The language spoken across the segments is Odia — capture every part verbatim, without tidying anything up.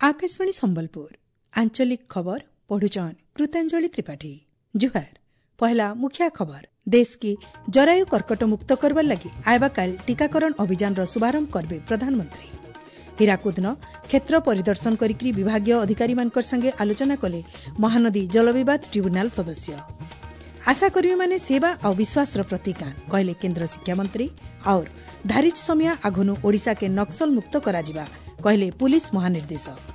ଆକାଶବାଣୀ ସମ୍ବଲପୁର ଆଞ୍ଚଳିକ ଖବର ପଢୁଛନ୍ କୃତାଞ୍ଜଳି ତ୍ରିପାଠୀ ଜୁହାର ପହଲା ମୁଖ୍ୟ ଖବର ଦେଶ କି ଜରାୟୁ କର୍କଟ ମୁକ୍ତ କରବାର ଲାଗି ଆଇବାକାଲ ଟିକାକରଣ ଅଭିଯାନର ଶୁଭାରମ୍ଭ କରବେ ପ୍ରଧାନମନ୍ତ୍ରୀ ହୀରାକୁଦନ କ୍ଷେତ୍ର ପରିଦର୍ଶନ କରିକି ବିଭାଗୀୟ ଅଧିକାରୀମାନଙ୍କ ସଙ୍ଗେ ଆଲୋଚନା କଲେ ମହାନଦୀ ଜଳବିବାଦ ଟ୍ରିବ୍ୟୁନାଲ ସଦସ୍ୟ ଆଶାକର୍ମୀମାନେ ସେବା ଆଉ ବିଶ୍ୱାସର ପ୍ରତୀକ କହିଲେ କେନ୍ଦ୍ର ଶିକ୍ଷାମନ୍ତ୍ରୀ और ଧାରିଚ ସମିଆ ଆଘନୁ ଓଡ଼ିଶାକେ ନକ୍ସଲ ମୁକ୍ତ କରାଯିବା କହିଲେ ପୁଲିସ ମହାନିର୍ଦ୍ଦେଶକ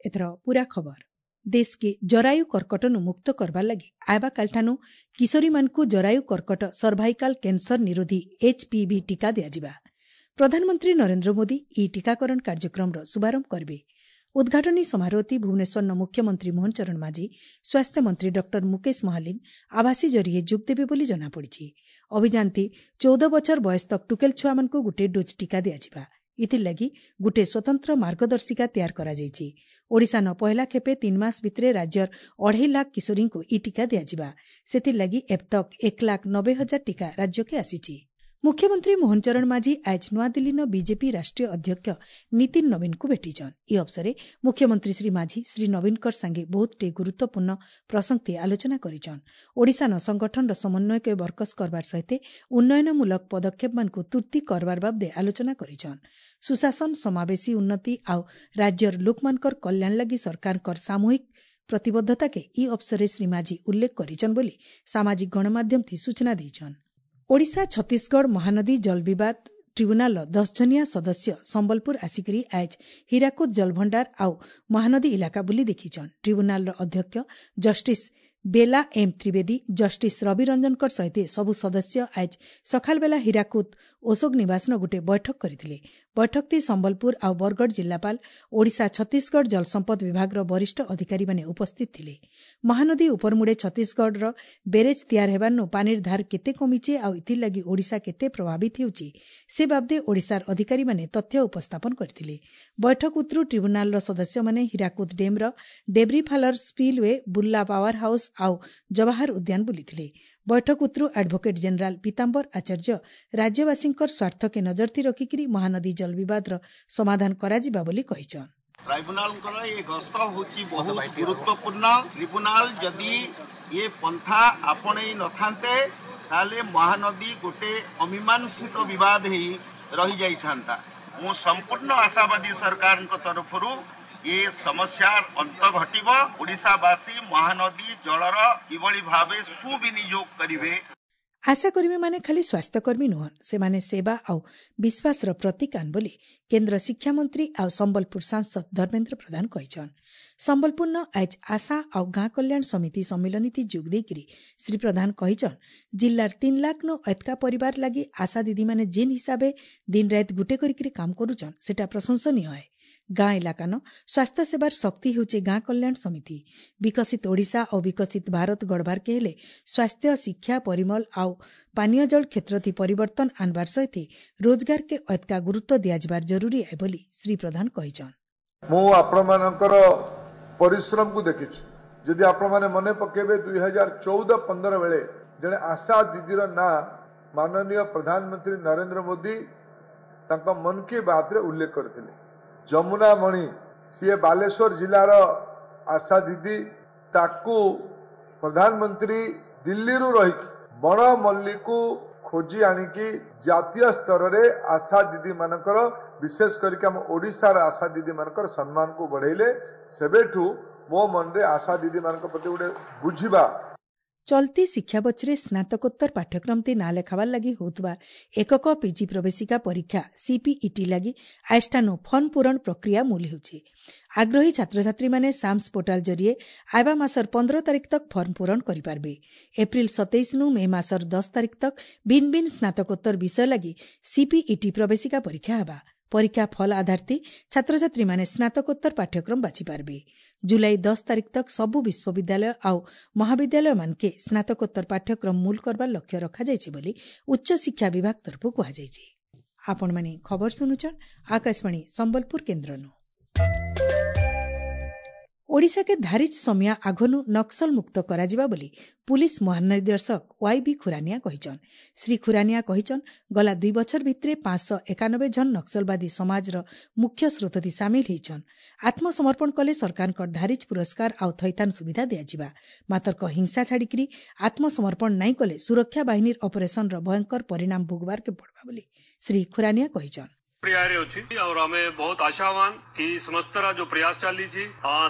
ଏଥର ପୂରା ଖବର ଦେଶକେ ଜରାୟୁ କର୍କଟନୁ ମୁକ୍ତ କରବାର ଲାଗି ଆଇବାକାଲଠାନୁ କିଶୋରୀମାନଙ୍କୁ ଜରାୟୁ କର୍କଟ ସର୍ଭାଇକାଲ କ୍ୟାନ୍ସର ନିରୋଧୀ ଏଚ୍ପିଭି ଟିକା ଦିଆଯିବା ପ୍ରଧାନମନ୍ତ୍ରୀ ନରେନ୍ଦ୍ର ମୋଦି ଇ ଟିକାକରଣ କାର୍ଯ୍ୟକ୍ରମର ଶୁଭାରମ୍ଭ କରିବେ ଉଦ୍ଘାଟନୀ ସମାରୋହଟି ଭୁବନେଶ୍ୱରର ମୁଖ୍ୟମନ୍ତ୍ରୀ ମୋହନ ଚରଣ ମାଝୀ ସ୍ୱାସ୍ଥ୍ୟମନ୍ତ୍ରୀ ଡକ୍ଟର ମୁକେଶ ମହାଲିଙ୍ଗ ଆଭାସୀ ଜରିଏ ଯୋଗ ଦେବେ ବୋଲି ଜଣାପଡ଼ିଛି ଅଭିଯାନଟି ଚଉଦ ବଛର ବୟସ ତକ୍ ଟୁକେଲ ଛୁଆମାନଙ୍କୁ ଗୋଟିଏ ଡୋଜ୍ ଟିକା ଦିଆଯିବା ଏଥିର୍ଲାଗି ଗୋଟିଏ ସ୍ୱତନ୍ତ୍ର ମାର୍ଗଦର୍ଶିକା ତିଆର କରାଯାଇଛି ଓଡ଼ିଶାନ ପହିଲା ଖେପେ ତିନି ମାସ ଭିତରେ ରାଜ୍ୟର ଅଢ଼େଇ ଲାଖ କିଶୋରୀଙ୍କୁ ଇ ଟିକା ଦିଆଯିବା ସେଥିର୍ଲାଗି ଏବତକ୍ ଏକ ଲାଖ ନବେ ହଜାର ଟିକା ରାଜ୍ୟକେ ଆସିଛି ମୁଖ୍ୟମନ୍ତ୍ରୀ ମୋହନ ଚରଣ ମାଝୀ ଆଜ ନୂଆଦିଲ୍ଲୀନ ବିଜେପି ରାଷ୍ଟ୍ରୀୟ ଅଧ୍ୟକ୍ଷ ନୀତିନ ନବୀନଙ୍କୁ ଭେଟିଛନ୍ ଇ ଅବସରେ ମୁଖ୍ୟମନ୍ତ୍ରୀ ଶ୍ରୀ ମାଝୀ ଶ୍ରୀ ନବୀନଙ୍କର ସାଙ୍ଗେ ବହୁତଟେ ଗୁରୁତ୍ୱପୂର୍ଣ୍ଣ ପ୍ରସଙ୍ଗତେ ଆଲୋଚନା କରିଛନ୍ ଓଡ଼ିଶାନ ସଂଗଠନର ସମନ୍ୱୟକେ ବରକସ କରବାର ସହିତ ଉନ୍ନୟନମୂଳକ ପଦକ୍ଷେପମାନଙ୍କୁ ତୁର୍ତ୍ତି କରବାର ବାବଦେ ଆଲୋଚନା କରିଛନ୍ ସୁଶାସନ ସମାବେଶୀ ଉନ୍ନତି ଆଉ ରାଜ୍ୟର ଲୋକମାନଙ୍କର କଲ୍ୟାଣ ଲାଗି ସରକାରଙ୍କର ସାମୂହିକ ପ୍ରତିବଦ୍ଧତାକେ ଇ ଅବସରେ ଶ୍ରୀ ମାଝୀ ଉଲ୍ଲେଖ କରିଛନ୍ ବୋଲି ସାମାଜିକ ଗଣମାଧ୍ୟମଥି ସୂଚନା ଦେଇଛନ୍ ଓଡ଼ିଶା ଛତିଶଗଡ଼ ମହାନଦୀ ଜଳବିବାଦ ଟ୍ରିବ୍ୟୁନାଲର ଦଶ ଜଣିଆ ସଦସ୍ୟ ସମ୍ବଲପୁର ଆସିକରି ଆଜ ହୀରାକୁଦ ଜଳଭଣ୍ଡାର ଆଉ ମହାନଦୀ ଇଲାକା ବୁଲି ଦେଖିଛନ୍ ଟ୍ରିବ୍ୟୁନାଲର ଅଧ୍ୟକ୍ଷ ଜଷ୍ଟିସ୍ ବେଲା ଏମ୍ ତ୍ରିବେଦୀ ଜଷ୍ଟିସ୍ ରବି ରଞ୍ଜନଙ୍କର ସହିତ ସବୁ ସଦସ୍ୟ ଆଜ ସକାଳବେଲା ହୀରାକୁଦ ଅଶୋକ ନିବାସନ ଗୋଟିଏ ବୈଠକ କରିଥିଲେ ବୈଠକଟି ସମ୍ବଲପୁର ଆଉ ବରଗଡ଼ ଜିଲ୍ଲାପାଳ ଓଡ଼ିଶା ଛତିଶଗଡ଼ ଜଳସମ୍ପଦ ବିଭାଗର ବରିଷ୍ଠ ଅଧିକାରୀମାନେ ଉପସ୍ଥିତ ଥିଲେ ମହାନଦୀ ଉପରମୁଡ଼େ ଛତିଶଗଡ଼ର ବେରେଜ୍ ତିଆର ହେବାରନୁ ପାନିର ଧାର କେତେ କମିଛେ ଆଉ ଏଥିର୍ଲାଗି ଓଡ଼ିଶା କେତେ ପ୍ରଭାବିତ ହେଉଛି ସେ ବାବଦେ ଓଡ଼ିଶାର ଅଧିକାରୀମାନେ ତଥ୍ୟ ଉପସ୍ଥାପନ କରିଥିଲେ ବୈଠକ ଉତ୍ତରୁ ଟ୍ରିବ୍ୟୁନାଲର ସଦସ୍ୟମାନେ ହୀରାକୁଦ ଡ୍ୟାମ୍ର ଡେବ୍ରିଫାଲର ସ୍ପିଲ୍ୱେ ବୁର୍ଲା ପାୱାର ହାଉସ୍ ଆଉ ଜବାହର ଉଦ୍ୟାନ ବୁଲିଥିଲେ ବୈଠକ ଉତ୍ତରୁ ଆଡଭୋକେଟ୍ ଜେନେରାଲ ପୀତାମ୍ବର ଆଚାର୍ଯ୍ୟ ରାଜ୍ୟବାସୀଙ୍କର ସ୍ୱାର୍ଥକେ ନଜରଥି ରଖିକିରି ମହାନଦୀ ଜଳବିବାଦର ସମାଧାନ କରାଯିବା ବୋଲି କହିଛନ୍ ଟ୍ରାଇବୁନାଲଙ୍କର ଏ ଗସ୍ତ ହେଉଛି ବହୁତ ଗୁରୁତ୍ୱପୂର୍ଣ୍ଣ ଟ୍ରିବ୍ୟୁନାଲ ଯଦି ଏ ପନ୍ଥା ଆପଣେଇ ନଥାନ୍ତେ ତାହେଲେ ମହାନଦୀ ଗୋଟେ ଅମୀମାଂସିତ ବିବାଦ ହେଇ ରହିଯାଇଥାନ୍ତା ମୁଁ ସମ୍ପୂର୍ଣ୍ଣ ଆଶାବାଦୀ ସରକାରଙ୍କ ତରଫରୁ ଏ ସମସ୍ୟାର ଅନ୍ତ ଘଟିବ ଓଡ଼ିଶାବାସୀ ମହାନଦୀ ଜଳର କିଭଳି ଭାବେ ସୁବିନିଯୋଗ କରିବେ ଆଶାକର୍ମୀମାନେ ଖାଲି ସ୍ୱାସ୍ଥ୍ୟକର୍ମୀ ନୁହଁ ସେମାନେ ସେବା ଆଉ ବିଶ୍ୱାସର ପ୍ରତୀକାନ ବୋଲି କେନ୍ଦ୍ର ଶିକ୍ଷାମନ୍ତ୍ରୀ ଆଉ ସମ୍ବଲପୁର ସାଂସଦ ଧର୍ମେନ୍ଦ୍ର ପ୍ରଧାନ କହିଛନ୍ ସମ୍ବଲପୁରନ ଆଜ ଆଶା ଆଉ ଗାଁ କଲ୍ୟାଣ ସମିତି ସମ୍ମିଳନୀତି ଯୋଗ ଦେଇକିରି ଶ୍ରୀ ପ୍ରଧାନ କହିଛନ୍ ଜିଲ୍ଲାର ତିନି ଲାଖ ନୁ ଏତକା ପରିବାର ଲାଗି ଆଶା ଦିଦିମାନେ ଯେନ୍ ହିସାବେ ଦିନ ରାତ ଗୁଟେ କରିକିରି କାମ କରୁଛନ୍ ସେଟା ପ୍ରଶଂସନୀୟ ହେ ଗାଁ ଇଲାକାନ ସ୍ୱାସ୍ଥ୍ୟ ସେବାର ଶକ୍ତି ହେଉଛି ଗାଁ କଲ୍ୟାଣ ସମିତି ବିକଶିତ ଓଡ଼ିଶା ଓ ବିକଶିତ ଭାରତ ଗଢ଼ବାର୍କେ ହେଲେ ସ୍ୱାସ୍ଥ୍ୟ ଶିକ୍ଷା ପରିମଳ ଆଉ ପାନୀୟ ଜଳ କ୍ଷେତ୍ରଥି ପରିବର୍ତ୍ତନ ଆନବାର ସହିତ ରୋଜଗାରକେ ଅତକା ଗୁରୁତ୍ୱ ଦିଆଯିବାର ଜରୁରୀ ଏ ବୋଲି ଶ୍ରୀ ପ୍ରଧାନ କହିଛନ୍ ମୁଁ ଆପଣମାନଙ୍କର ପରିଶ୍ରମକୁ ଦେଖିଛି ଯଦି ଆପଣମାନେ ମନେ ପକେଇବେ ଦୁଇ ହଜାର ଚଉଦ ପନ୍ଦର ବେଳେ ଜଣେ ଆଶା ଦିଦିର ନାଁ ମାନନୀୟ ପ୍ରଧାନମନ୍ତ୍ରୀ ନରେନ୍ଦ୍ର ମୋଦି ତାଙ୍କ ମନ କି ବାତରେ ଉଲ୍ଲେଖ କରିଥିଲେ ଯମୁନା ମଣି ସିଏ ବାଲେଶ୍ୱର ଜିଲ୍ଲାର ଆଶା ଦିଦି ତାକୁ ପ୍ରଧାନମନ୍ତ୍ରୀ ଦିଲ୍ଲୀରୁ ରହିକି ବଣ ମଲ୍ଲିକୁ ଖୋଜି ଆଣିକି ଜାତୀୟ ସ୍ତରରେ ଆଶା ଦିଦି ମାନଙ୍କର ବିଶେଷ କରିକି ଆମ ଓଡ଼ିଶାର ଆଶା ଦିଦି ମାନଙ୍କର ସମ୍ମାନକୁ ବଢ଼େଇଲେ ସେବେଠୁ ମୋ ମନରେ ଆଶା ଦିଦି ମାନଙ୍କ ପ୍ରତି ଗୋଟେ ବୁଝିବା ଚଲତି ଶିକ୍ଷାବର୍ଷରେ ସ୍ନାତକୋତ୍ତର ପାଠ୍ୟକ୍ରମତି ନାଁ ଲେଖାବାର ଲାଗି ହେଉଥିବା ଏକକ ପିଜି ପ୍ରବେଶିକା ପରୀକ୍ଷା ସିପିଇଟି ଲାଗି ଆଇଷ୍ଟାନୁ ଫର୍ମ ପୂରଣ ପ୍ରକ୍ରିୟା ମୂଲ ହେଉଛି ଆଗ୍ରହୀ ଛାତ୍ରଛାତ୍ରୀମାନେ ସାମ୍ସ ପୋର୍ଟାଲ ଜରିଏ ଆଇବା ମାସର ପନ୍ଦର ତାରିଖ ତକ୍ ଫର୍ମ ପୂରଣ କରିପାରିବେ ଏପ୍ରିଲ ସତେଇଶନୁ ମେ ମାସର ଦଶ ତାରିଖ ତକ୍ ଭିନ୍ ଭିନ୍ ସ୍ନାତକୋତ୍ତର ବିଷୟ ଲାଗି ସିପିଇଟି ପ୍ରବେଶିକା ପରୀକ୍ଷା ହେବା ପରୀକ୍ଷା ଫଳ ଆଧାରତି ଛାତ୍ରଛାତ୍ରୀମାନେ ସ୍ନାତକୋତ୍ତର ପାଠ୍ୟକ୍ରମ ବାଛିପାରିବେ ଜୁଲାଇ ଦଶ ତାରିଖ ତକ୍ ସବୁ ବିଶ୍ୱବିଦ୍ୟାଳୟ ଆଉ ମହାବିଦ୍ୟାଳୟମାନକେ ସ୍ନାତକୋତ୍ତର ପାଠ୍ୟକ୍ରମ ମୂଲ କରବାର ଲକ୍ଷ୍ୟ ରଖାଯାଇଛି ବୋଲି ଉଚ୍ଚଶିକ୍ଷା ବିଭାଗ ତରଫରୁ କୁହାଯାଇଛି ଆପଣମାନେ ଖବର ଶୁଣୁଛନ୍ ଆକାଶବାଣୀ ସମ୍ବଲପୁର କେନ୍ଦ୍ରନୁ ଓଡ଼ିଶାକେ ଧାରିଚ୍ ସମିଆ ଆଘନୁ ନକ୍ସଲ ମୁକ୍ତ କରାଯିବା ବୋଲି ପୁଲିସ୍ ମହାନିର୍ଦ୍ଦେଶକ ୱାଇ ବି ଖୁରାନିଆ କହିଛନ୍। ଶ୍ରୀ ଖୁରାନିଆ କହିଛନ୍, ଗଲା ଦୁଇ ବଛର ଭିତରେ ପାଞ୍ଚଶହ ଏକାନବେ ଜଣ ନକ୍ସଲବାଦୀ ସମାଜର ମୁଖ୍ୟ ସ୍ରୋତଥି ସାମିଲ ହେଇଛନ୍। ଆତ୍ମସମର୍ପଣ କଲେ ସରକାରଙ୍କ ଧାରିଚ୍ ପୁରସ୍କାର ଆଉ ଥଇଥାନ ସୁବିଧା ଦିଆଯିବା। ମାତର୍କ ହିଂସା ଛାଡ଼ିକିରି ଆତ୍ମସମର୍ପଣ ନାଇଁ କଲେ ସୁରକ୍ଷା ବାହିନୀର ଅପରେସନର ଭୟଙ୍କର ପରିଣାମ ଭୋଗବାରକେ ପଡ଼ବା ବୋଲି ଶ୍ରୀ ଖୁରାନିଆ କହିଛନ୍। ପ୍ରକ୍ରିୟାରେ ଅଛି ଆଉ ଆମେ ବହୁତ ଆଶାବାନ କି ସମସ୍ତର ଯୋଉ ପ୍ରୟାସ ଚାଲିଛି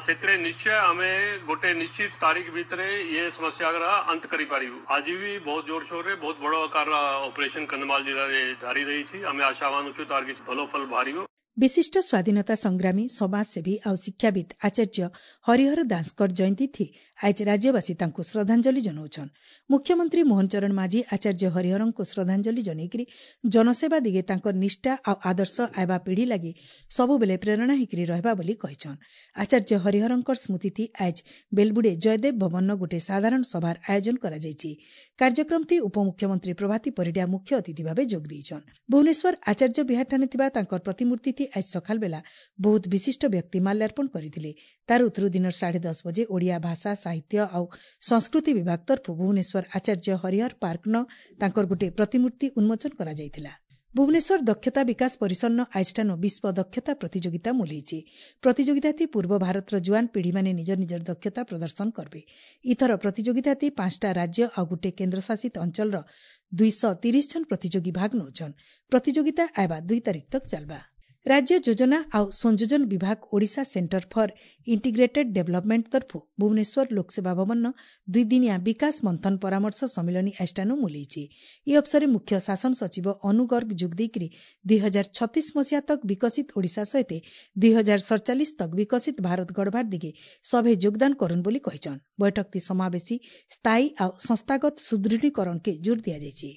ସେଥିରେ ନିଶ୍ଚୟ ଆମେ ଗୋଟେ ନିଶ୍ଚିତ ତାରିଖ ଭିତରେ ଇଏ ସମସ୍ୟାର ଅନ୍ତ କରିପାରିବୁ। ଆଜି ବି ବହୁତ ଜୋରସୋରରେ ବହୁତ ବଡ ଆକାର ଅପରେସନ କନ୍ଧମାଳ ଜିଲ୍ଲାରେ ଜାରି ରହିଛି। ଆମେ ଆଶାବାନ ଅଛୁ ତାର କିଛି ଭଲ ଫଳ ବାହାରିବ। ବିଶିଷ୍ଟ ସ୍ୱାଧୀନତା ସଂଗ୍ରାମୀ, ସମାଜସେବୀ ଆଉ ଶିକ୍ଷାବିତ୍ ଆଚାର୍ଯ୍ୟ ହରିହର ଦାସଙ୍କର ଜୟନ୍ତୀ ଆଜି ରାଜ୍ୟବାସୀ ତାଙ୍କୁ ଶ୍ରଦ୍ଧାଞ୍ଜଳି ଜଣାଉଛନ୍। ମୁଖ୍ୟମନ୍ତ୍ରୀ ମୋହନ ଚରଣ ମାଝୀ ଆଚାର୍ଯ୍ୟ ହରିହରଙ୍କୁ ଶ୍ରଦ୍ଧାଞ୍ଜଳି ଜଣାଇକରି ଜନସେବା ଦିଗେ ତାଙ୍କର ନିଷ୍ଠା ଆଉ ଆଦର୍ଶ ଆଇବା ପିଢ଼ି ଲାଗି ସବୁବେଳେ ପ୍ରେରଣା ହେଇକରି ରହିବା ବୋଲି କହିଛନ୍। ଆଚାର୍ଯ୍ୟ ହରିହରଙ୍କର ସ୍ମୃତିଥି ଆଜ ବେଲବୁଡ଼େ ଜୟଦେବ ଭବନର ଗୋଟିଏ ସାଧାରଣ ସଭାର ଆୟୋଜନ କରାଯାଇଛି। କାର୍ଯ୍ୟକ୍ରମଟି ଉପମୁଖ୍ୟମନ୍ତ୍ରୀ ପ୍ରଭାତୀ ପରିଡ଼ା ମୁଖ୍ୟ ଅତିଥି ଭାବେ ଯୋଗ ଦେଇଛନ୍। ଭୁବନେଶ୍ୱର ଆଚାର୍ଯ୍ୟ ବିହାରଠାରେ ଥିବା ତାଙ୍କର ପ୍ରତିମୂର୍ତ୍ତି ଆଜ ସକାଳ ବେଲା ବହୁତ ବିଶିଷ୍ଟ ବ୍ୟକ୍ତି ମାଲ୍ୟାର୍ପଣ କରିଥିଲେ। ତାର ଉତ୍ତରୁ ଦିନର ସାଢ଼େ ଦଶ ବଜେ ଓଡ଼ିଆ ଭାଷା, ସାହିତ୍ୟ ଆଉ ସଂସ୍କୃତି ବିଭାଗ ତରଫରୁ ଭୁବନେଶ୍ୱର ଆଚାର୍ଯ୍ୟ ହରିହର ପାର୍କନ ତାଙ୍କର ଗୋଟିଏ ପ୍ରତିମୂର୍ତ୍ତି ଉନ୍ମୋଚନ କରାଯାଇଥିଲା। ଭୁବନେଶ୍ୱର ଦକ୍ଷତା ବିକାଶ ପରିସରନ ଆଜିଠାନୁ ବିଶ୍ୱ ଦକ୍ଷତା ପ୍ରତିଯୋଗିତା ମୁଲେଇଛି। ପ୍ରତିଯୋଗିତାତି ପୂର୍ବ ଭାରତର ଜୁଆନ ପିଢ଼ିମାନେ ନିଜ ନିଜର ଦକ୍ଷତା ପ୍ରଦର୍ଶନ କରିବେ। ଇଥର ପ୍ରତିଯୋଗିତାତି ପାଞ୍ଚଟା ରାଜ୍ୟ ଆଉ ଗୋଟିଏ କେନ୍ଦ୍ରଶାସିତ ଅଞ୍ଚଳର ଦୁଇଶହ ତିରିଶ ଜଣ ପ୍ରତିଯୋଗୀ ଭାଗ ନେଉଛନ୍। ପ୍ରତିଯୋଗିତା ଆଇବା ଦୁଇ ତାରିଖ ତକ୍ ଚାଲବା। ରାଜ୍ୟ ଯୋଜନା ଆଉ ସଂଯୋଜନ ବିଭାଗ Odisha centre for integrated development ତରଫରୁ ଭୁବନେଶ୍ୱର ଲୋକସେବା ଭବନର ଦୁଇଦିନିଆ ବିକାଶ ମନ୍ଥନ ପରାମର୍ଶ ସମ୍ମିଳନୀ ଆଜିଠାନୁ ମୁଲେଇଛି। ଏହି ଅବସରରେ ମୁଖ୍ୟ ଶାସନ ସଚିବ ଅନୁ ଗର୍ଗ ଯୋଗ ଦେଇକରି ଦୁଇ ହଜାର ଛତିଶ ମସିହା ତକ୍ ବିକଶିତ ଓଡ଼ିଶା ସହିତ ଦୁଇ ହଜାର ସଡ଼ଚାଳିଶ ତକ୍ ବିକଶିତ ଭାରତ ଗଢ଼ବାର ଦିଗେ ସଭେ ଯୋଗଦାନ କରୁନ୍ ବୋଲି କହିଛନ୍। ବୈଠକଟି ସମାବେଶୀ, ସ୍ଥାୟୀ ଆଉ ସଂସ୍ଥାଗତ ସୁଦୃଢ଼ୀକରଣକେ ଜୋର ଦିଆଯାଇଛି।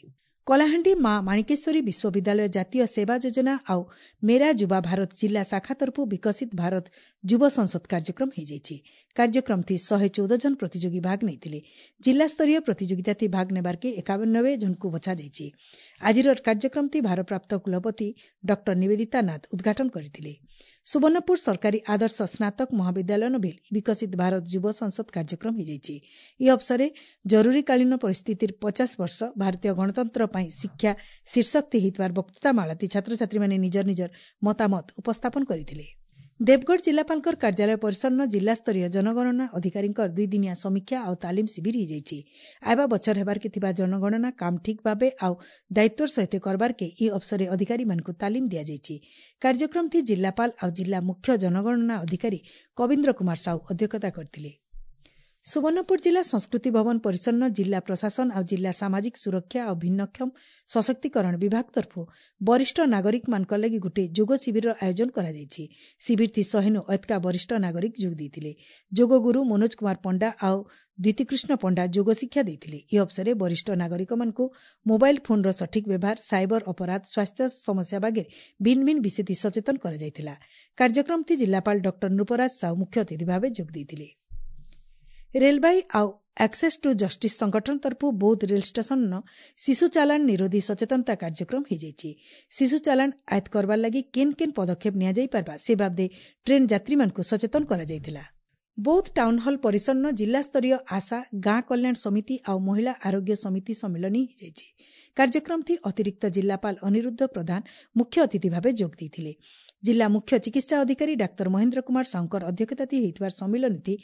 କଳାହାଣ୍ଡି ମା ମାଣିକେଶ୍ୱରୀ ବିଶ୍ୱବିଦ୍ୟାଳୟ ଜାତୀୟ ସେବା ଯୋଜନା ଆଉ ମେରା ଯୁବା ଭାରତ ଜିଲ୍ଲା ଶାଖା ତରଫରୁ ବିକଶିତ ଭାରତ ଯୁବ ସଂସଦ କାର୍ଯ୍ୟକ୍ରମ ହୋଇଯାଇଛି। କାର୍ଯ୍ୟକ୍ରମଟି ଶହେ ଚଉଦ ଜଣ ପ୍ରତିଯୋଗୀ ଭାଗ ନେଇଥିଲେ। ଜିଲ୍ଲାସ୍ତରୀୟ ପ୍ରତିଯୋଗିତାଟି ଭାଗ ନେବାର୍କେ ଏକାନବେ ଜଣଙ୍କୁ ବଛାଯାଇଛି। ଆଜିର କାର୍ଯ୍ୟକ୍ରମଟି ଭାରପ୍ରାପ୍ତ କୁଳପତି ଡକ୍ଟର ନିବେଦିତା ନାଥ ଉଦ୍ଘାଟନ କରିଥିଲେ। ସୁବର୍ଣ୍ଣପୁର ସରକାରୀ ଆଦର୍ଶ ସ୍ନାତକ ମହାବିଦ୍ୟାଳୟ ନଭିଲ ବିକଶିତ ଭାରତ ଯୁବ ସଂସଦ କାର୍ଯ୍ୟକ୍ରମ ହୋଇଯାଇଛି। ଏହି ଅବସରରେ ଜରୁରୀକାଳୀନ ପରିସ୍ଥିତିର ପଚାଶ ବର୍ଷ ଭାରତୀୟ ଗଣତନ୍ତ୍ର ପାଇଁ ଶିକ୍ଷା ଶୀର୍ଷକ ହୋଇଥିବାର ବକ୍ତୃତାମାଳାତି ଛାତ୍ରଛାତ୍ରୀମାନେ ନିଜର ନିଜର ମତାମତ ଉପସ୍ଥାପନ କରିଥିଲେ। ଦେବଗଡ଼ ଜିଲ୍ଲାପାଳଙ୍କର କାର୍ଯ୍ୟାଳୟ ପରିସରନ ଜିଲ୍ଲାସ୍ତରୀୟ ଜନଗଣନା ଅଧିକାରୀଙ୍କର ଦୁଇଦିନିଆ ସମୀକ୍ଷା ଆଉ ତାଲିମ ଶିବିର ହୋଇଯାଇଛି। ଆଇବା ବଛର ହେବାର୍କେ ଥିବା ଜନଗଣନା କାମ ଠିକ୍ ଭାବେ ଆଉ ଦାୟିତ୍ୱର ସହିତ କରବାର୍କେ ଏହି ଅବସରରେ ଅଧିକାରୀମାନଙ୍କୁ ତାଲିମ ଦିଆଯାଇଛି। କାର୍ଯ୍ୟକ୍ରମଟି ଜିଲ୍ଲାପାଳ ଆଉ ଜିଲ୍ଲା ମୁଖ୍ୟ ଜନଗଣନା ଅଧିକାରୀ କବୀନ୍ଦ୍ର କୁମାର ସାହୁ ଅଧ୍ୟକ୍ଷତା କରିଥିଲେ। ସୁବର୍ଣ୍ଣପୁର ଜିଲ୍ଲା ସଂସ୍କୃତି ଭବନ ପରିସରନ ଜିଲ୍ଲା ପ୍ରଶାସନ ଆଉ ଜିଲ୍ଲା ସାମାଜିକ ସୁରକ୍ଷା ଆଉ ଭିନ୍ନକ୍ଷମ ସଶକ୍ତିକରଣ ବିଭାଗ ତରଫରୁ ବରିଷ୍ଠ ନାଗରିକମାନଙ୍କ ଲାଗି ଗୋଟିଏ ଯୋଗ ଶିବିରର ଆୟୋଜନ କରାଯାଇଛି। ଶିବିରଟି ଶହେନୁ ଅଧିକା ବରିଷ୍ଠ ନାଗରିକ ଯୋଗ ଦେଇଥିଲେ। ଯୋଗଗୁରୁ ମନୋଜ କୁମାର ପଣ୍ଡା ଆଉ ଦ୍ୱିତୀକୃଷ୍ଣ ପଣ୍ଡା ଯୋଗ ଶିକ୍ଷା ଦେଇଥିଲେ। ଏହି ଅବସରରେ ବରିଷ୍ଠ ନାଗରିକମାନଙ୍କୁ ମୋବାଇଲ ଫୋନ୍ର ସଠିକ୍ ବ୍ୟବହାର, ସାଇବର ଅପରାଧ, ସ୍ୱାସ୍ଥ୍ୟ ସମସ୍ୟା ବାଗେରେ ଭିନ୍ନ ଭିନ୍ନ ବିଷୟ ସଚେତନ କରାଯାଇଥିଲା। କାର୍ଯ୍ୟକ୍ରମଟି ଜିଲ୍ଲାପାଳ ଡକ୍ଟର ନୃପରାଜ ସାହୁ ମୁଖ୍ୟ ଅତିଥି ଭାବେ ଯୋଗ ଦେଇଥିଲେ। ରେଲବାଇ ଆଉ ଆକ୍ସେସ୍ ଟୁ ଜଷ୍ଟିସ୍ ସଂଗଠନ ତରଫରୁ ବୌଦ୍ଧ ରେଳ ଷ୍ଟେସନର ଶିଶୁ ଚାଲାଣ ନିରୋଧୀ ସଚେତନତା କାର୍ଯ୍ୟକ୍ରମ ହୋଇଯାଇଛି। ଶିଶୁ ଚାଲାଣ ଆୟତ୍ତ କରବାର ଲାଗି କେନ୍ କେନ୍ ପଦକ୍ଷେପ ନିଆଯାଇପାରବା ସେ ବାବଦେ ଟ୍ରେନ୍ ଯାତ୍ରୀମାନଙ୍କୁ ସଚେତନ କରାଯାଇଥିଲା। ବୌଦ୍ଧ ଟାଉନ୍ ହଲ୍ ପରିସରନ ଜିଲ୍ଲାସ୍ତରୀୟ ଆଶା, ଗାଁ କଲ୍ୟାଣ ସମିତି ଆଉ ମହିଳା ଆରୋଗ୍ୟ ସମିତି ସମ୍ମିଳନୀ ହୋଇଯାଇଛି। କାର୍ଯ୍ୟକ୍ରମଟି ଅତିରିକ୍ତ ଜିଲ୍ଲାପାଳ ଅନିରୁଦ୍ଧ ପ୍ରଧାନ ମୁଖ୍ୟ ଅତିଥି ଭାବେ ଯୋଗ ଦେଇଥିଲେ। ଜିଲ୍ଲା ମୁଖ୍ୟ ଚିକିତ୍ସା ଅଧିକାରୀ ଡାକ୍ତର ମହେନ୍ଦ୍ର କୁମାର ସାହୁଙ୍କର ଅଧ୍ୟକ୍ଷତାରେ ହୋଇଥିବା ସମ୍ମିଳନୀଟି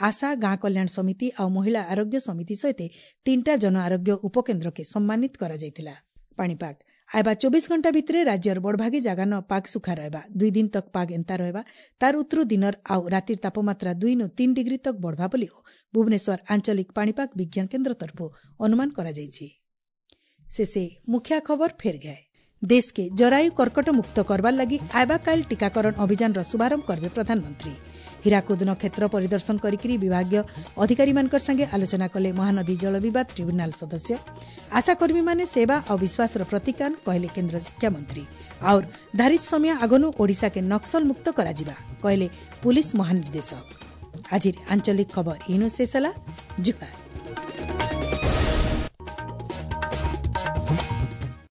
ଆଶା, ଗାଁ କଲ୍ୟାଣ ସମିତି ଆଉ ମହିଳା ଆରୋଗ୍ୟ ସମିତି ସହିତ ତିନିଟା ଜନ ଆରୋଗ୍ୟ ଉପକେନ୍ଦ୍ରକେ ସମ୍ମାନିତ କରାଯାଇଥିଲା। ପାଣିପାଗ ଆଇବା ଚବିଶ ଘଣ୍ଟା ଭିତରେ ରାଜ୍ୟର ବଡ଼ଭାଗୀ ଜାଗାନ ପାଗ ସୁଖା ରହିବା। ଦୁଇ ଦିନ ତକ୍ ପାଗ ଏନ୍ତା ରହିବା। ତାର ଉତ୍ତରୁ ଦିନର ଆଉ ରାତିର ତାପମାତ୍ରା ଦୁଇ ନୁ ତିନି ଡିଗ୍ରୀ ତକ୍ ବଢ଼ବା ବୋଲି ଭୁବନେଶ୍ୱର ଆଞ୍ଚଳିକ ପାଣିପାଗ ବିଜ୍ଞାନ କେନ୍ଦ୍ର ତରଫରୁ ଅନୁମାନ କରାଯାଇଛି। ଶେଷେ ମୁଖ୍ୟ ଖବର ଫେର ଗए। देश के जरायु कर्कट मुक्त करवार लागि आइबाकाल टीकाकरण अभियान शुभारंभ करवे प्रधानमंत्री। हीराकुद क्षेत्र परिदर्शन करिकरी विभागीय अधिकारी मानकर संगे आलोचना कले महानदी जल विवाद ट्रिब्यूनाल सदस्य। आशाकर्मी माने सेवा और विश्वासर प्रतीकान कहले केन्द्र शिक्षा मंत्री। और धारित समय आगनु ओडिशा के नक्सल मुक्त कराजिबा कहले पुलिस महानिर्देशक। आज आंचलिक खबर इनु शेष होला। जुहार।